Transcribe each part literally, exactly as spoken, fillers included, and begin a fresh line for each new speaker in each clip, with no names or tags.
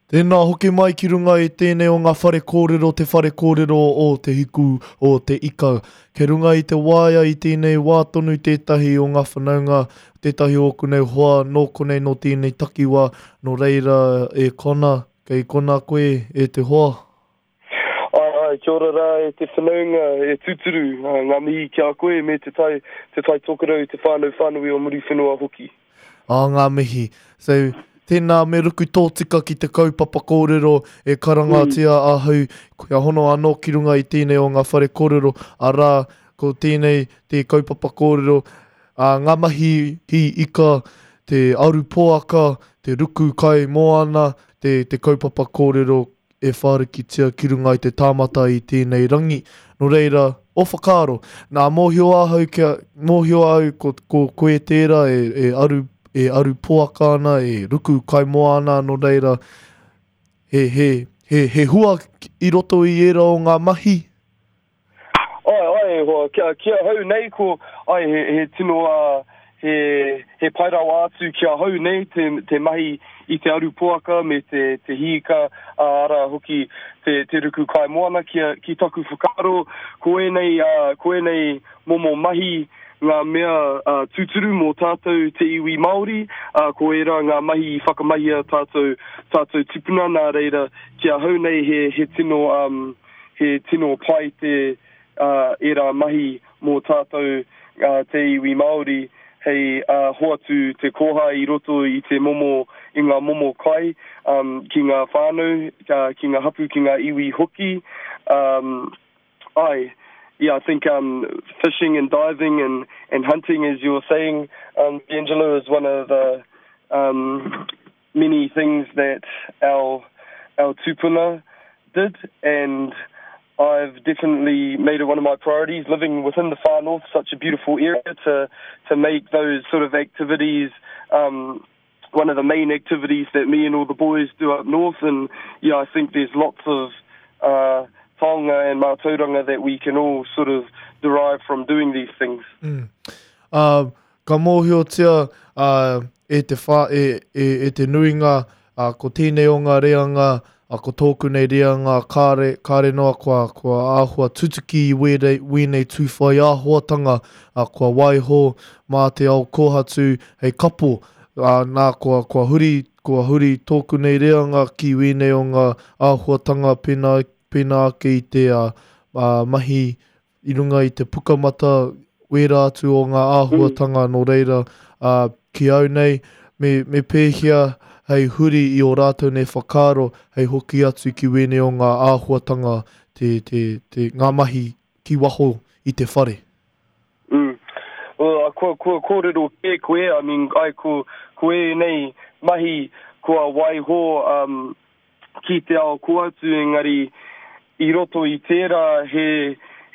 Tēnā hoki mai ki runga i tēnei o ngā whare kōrero, te whare kōrero o Te Hiku o Te Ika. Kei runga i te waea i tēnei wā tonu tētahi o ngā whanaunga, tētahi o ōku nei hoa nō konei nō tēnei takiwā, nō reira e Kona, kei kona koe e te hoa.
Ai, ai, kia ora rā e te whanaunga, e tūturu, ngā mihi ki a koe me te tai, te tai tokerau, te whānau whānui o Muriwhenua hoki.
Ā, ngā mihi. So, tēnā me ruku tōtika ki te kaupapa kōrero e karangatia mm. ahau, kia hono anō ki runga i tēnei o ngā whare kōrero, arā, ko tēnei te kaupapa kōrero, ā, ngā mahi hī ika, te aru poaka, te ruku kai moana, te, te kaupapa kōrero e whārikitia ki runga i te tāmata i tēnei rangi. Nō reira, o whakaaro, nā mōhio ahau kia, mōhio au ko, ko koe tērā e, e aru e aru poaka ana, e ruku kai moana, nō reira, he, he, he, he hua i roto i ērā o ngā mahi?
Ai, ai, e hoa, kia, ki ahau nei ko, ai, he, he tino, uh, he, he pai rawa atu ki ahau nei te, te mahi i te aru poaka me te, te hīka, ara hoki te, te ruku kai moana ki, ki taku whakaaro, ko ēnei, uh, ko ēnei momo mahi ngā mea uh, tūturu mō tātou te iwi Māori, uh, ko ērā ngā mahi i whakamahia tātou, tātou tipuna nā reira, ki ahau nei he, he tino, um, he tino pai te uh, ērā mahi mō tātou uh, te iwi Māori, hei uh, hoatu te koha i roto i te momo, i ngā momo kai um, ki ngā whānau, uh, ki ngā hapu, ki ngā iwi hoki. Um, ai, yeah, I think um, fishing and diving and, and hunting, as you were saying, um, D'Angelo, is one of the um, many things that our, our tupuna did, and I've definitely made it one of my priorities, living within the far north, such a beautiful area, to, to make those sort of activities um, one of the main activities that me and all the boys do up north. And yeah, I think there's lots of uh, taonga and mātauranga that we can all sort of derive from doing these things.
Mm. Uh, ka mōhiotia uh, e te, wha, e, e, e te nuinga, uh, ko tēnei o ngā reanga, uh, ko tōku nei reanga, kāre, kāre noa kua, kua āhua tutuki i wēnei, wēnei tūwhai āhuatanga, uh, kua waiho mā te ao kōhatu hei kapo, uh, nā kua, kua huri, kua huri tōku nei reanga ki wēnei o ngā āhuatanga pēnā, pēnā ake i te uh, uh, mahi i runga i te pukamata wērā atu o ngā āhuatanga nō reira uh, ki au nei, me, me pēhea hei huri i o rātou nei whakaaro hei hoki atu ki wēnei o ngā āhuatanga te, te, te, ngā mahi ki waho i te whare.
Mm. Well, kua, kua kōrero kē koe, I mean, ai, ko, ko ēnei mahi kua waiho um, ki te ao kōhatu, engari i roto i tērā he,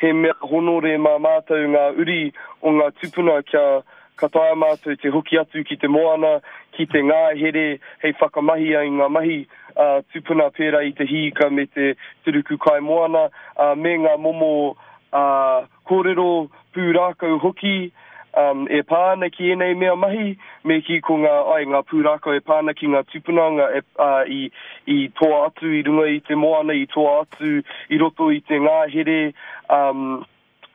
he mea honore mā mātou ngā uri o ngā tupuna kia ka taea mātou te hoki atu ki te moana, ki te ngāhere hei whakamahia i ngā mahi uh, tupuna pērā i te hīka me te, te ruku kai moana, uh, me ngā momo uh, kōrero pūrākau hoki um, e pā ana ki ēnei mea mahi, me ki ko ngā, ai, ngā pūrākau e pā ana ki ngā tupuna ngā, e, uh, i, i toa atu i runga i te moana, i toa atu i roto i te ngāhere, um,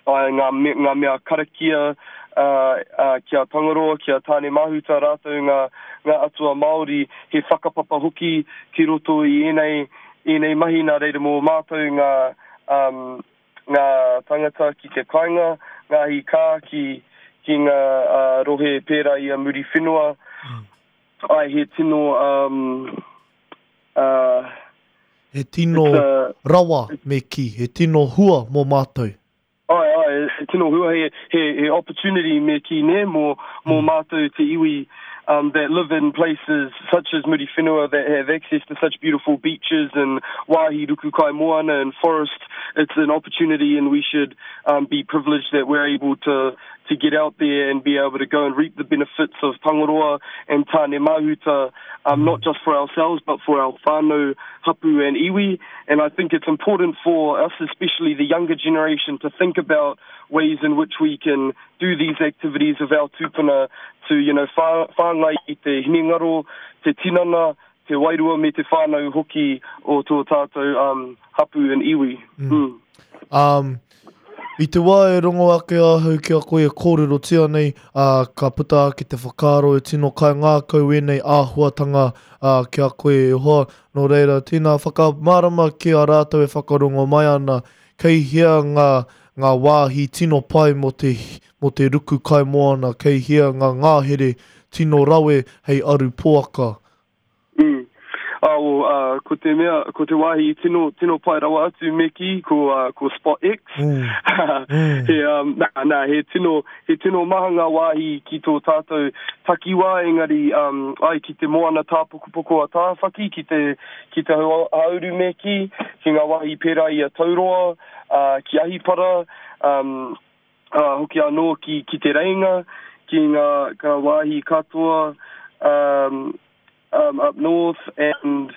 ai, ngā, me, ngā mea karakia, uh, uh, ki a Tangaroa, ki a Tāne Mahuta rātou ngā, ngā atua Māori, he whakapapa hoki ki roto i ēnei, ēnei mahi nā reira mō mātou ngā, um, ngā tangata ki te kāinga, ngā hikā ki, ki ngā uh, rohe pērā i a Muriwhenua. Mm. Ai, he tino... Um, uh,
he tino a, rawa me ki, he tino hua mō mātou.
Ai, ai, he tino hua, he, he, he opportunity me ki ne, mō, mō mm. mātou te iwi um, that live in places such as Muriwhenua that have access to such beautiful beaches and wāhi ruku kai moana and forest. It's an opportunity and we should um, be privileged that we're able to, to get out there and be able to go and reap the benefits of Tangaroa and Tāne Mahuta, um, not just for ourselves but for our whānau, hapu and iwi. And I think it's important for us, especially the younger generation, to think about ways in which we can do these activities of our tupuna to, you know, whāngai i te hinengaro, te tinana, te wairua me te whānau hoki o tō tātou um, hapu and iwi. Mm. Mm.
Um, I te wā e rongo ake ahau ki a koe e kōrerotia nei, uh, ka puta ake te whakaaro e tino kai ngākau ēnei āhuatanga uh, ki a koe e hoa. Nō reira, tēnā whakamārama ki a rātou e whakarongo mai ana, kei hea ngā, ngā wāhi tino pai mō te, mō te ruku kai moana, kei hea ngā ngāhere tino rawe hei aru poaka.
Mm. Ah, well, uh, ko te mea, ko te wāhi tino, tino pai rawa atu me ki, ko, uh, ko Spot X.
Mm. Mm.
He, um, nā, nā, he tino, he tino maha ngā wāhi ki tō tātou takiwā, engari, um, ai, ki te moana tāpokopoko a Tāwhaki, ki te, ki te hauru me ki, ki ngā wāhi pērā i a Tauroa, uh, ki Ahipara, um, uh, hoki anō ki, ki te Reinga, ki ngā, ngā wāhi katoa, um, um, up north, and,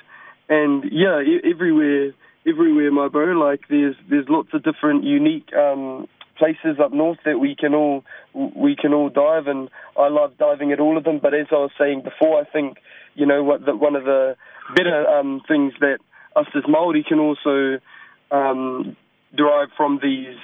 and yeah, e- everywhere, everywhere, my bro. Like there's, there's lots of different unique, um, places up north that we can all, we can all dive, and I love diving at all of them. But as I was saying before, I think, you know, what the, one of the better, um, things that us as Māori can also, um, derive from these,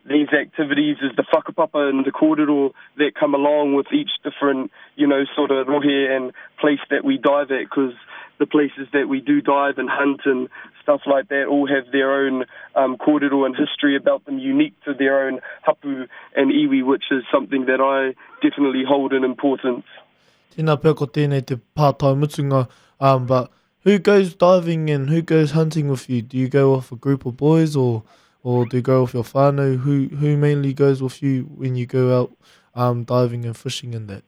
these activities is the whakapapa and the kōrero that come along with each different, you know, sort of rohe and place that we dive at, 'cause the places that we do dive and hunt and stuff like that all have their own, um, kōrero and history about them unique to their own hapu and iwi, which is something that I definitely hold in importance.
Tēnā pea ko tēnei te pātai mutunga, um, but who goes diving and who goes hunting with you? Do you go with a group of boys, or, or do you go with your whānau? Who, who mainly goes with you when you go out, um, diving and fishing and that?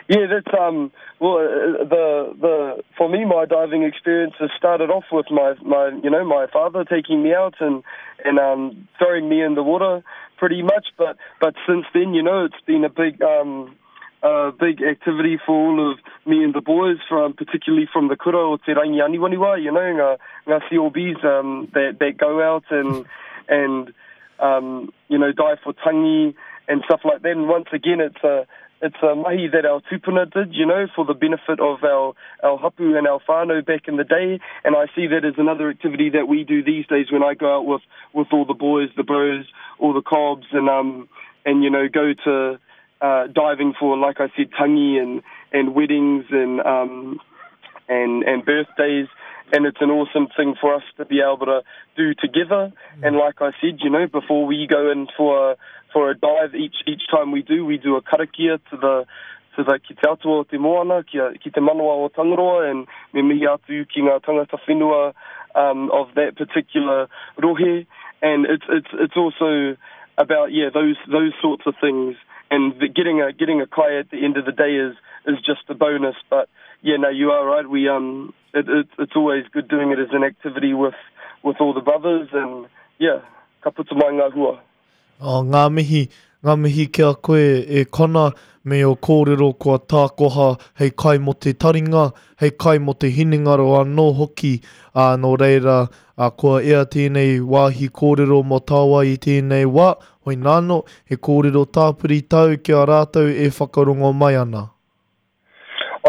Yeah, that's, um, well, uh, the, the, for me, my diving experience has started off with my, my, you know, my father taking me out and, and, um, throwing me in the water pretty much. But, but since then, you know, it's been a big, um, uh, big activity for all of me and the boys, from particularly from the kura o Te Rangi Aniwaniwa, you know, ngā, ngā C O Bs, um, that, that go out and, and, um, you know, dive for tangi and stuff like that. And once again, it's a, it's a mahi that our tupuna did, you know, for the benefit of our, our hapu and our whānau back in the day. And I see that as another activity that we do these days when I go out with, with all the boys, the bros, all the cobs, and, um, and you know, go to, uh, diving for, like I said, tangi and, and weddings and, um, and, and birthdays. And it's an awesome thing for us to be able to do together.
Mm.
And like I said, you know, before we go in for a, for a dive, each, each time we do, we do a karakia to the, to the ki te atua o te moana, ki, a, ki te manawa o Tangaroa, and me mihi atu ki ngā tangata whenua, um, of that particular rohe. And it's, it's, it's also about, yeah, those, those sorts of things. And the, getting a, getting a kai at the end of the day is, is just a bonus. But yeah, no, you are right. We, um, it, it, it's always good doing it as an activity with, with all the brothers, and yeah, ka puta mai ngā hua.
Oh, ngā mihi, ngā mihi ki a koe e Connor, me o kōrero kua tākoha hei kai mō te taringa, hei kai mō te hinengaro anō hoki. Ā, nō reira, ā, kua ea tēnei wāhi kōrero mō tāua i tēnei wā, hoi nāno, he kōrero tāpiri tau ki a rātou e whakarongo mai ana.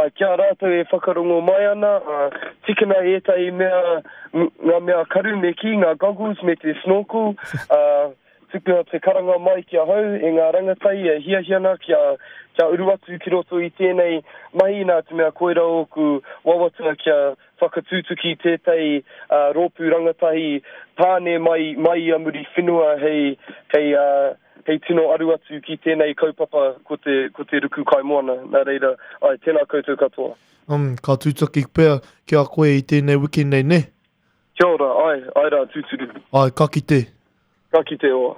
Ai, kia rātou e whakarongo mai ana, uh, tikina ētahi mea, ngā mea karu me ki, ngā goggles me te snorkel, uh, tukuna te karanga mai ki ahau e ngā rangatai e hiahiana kia, kia uru atu ki roto i tēnei mahi, nā te mea koira oku wawata kia whakatūtuki tētahi, uh, rōpū rangatahi tāne mai, mai i a muri whenua hei, hei, uh, hei tino aru atu ki tēnei kaupapa ko te, ko te ruku kaimoana. Nā reira, ai, tēnā koutou katoa.
Um, ka tūtaki pea ki a koe i tēnei wiki nei, ne?
Kia ora, ai, ai rā, tūturu.
Ai, ka kite.
Ka kite oa.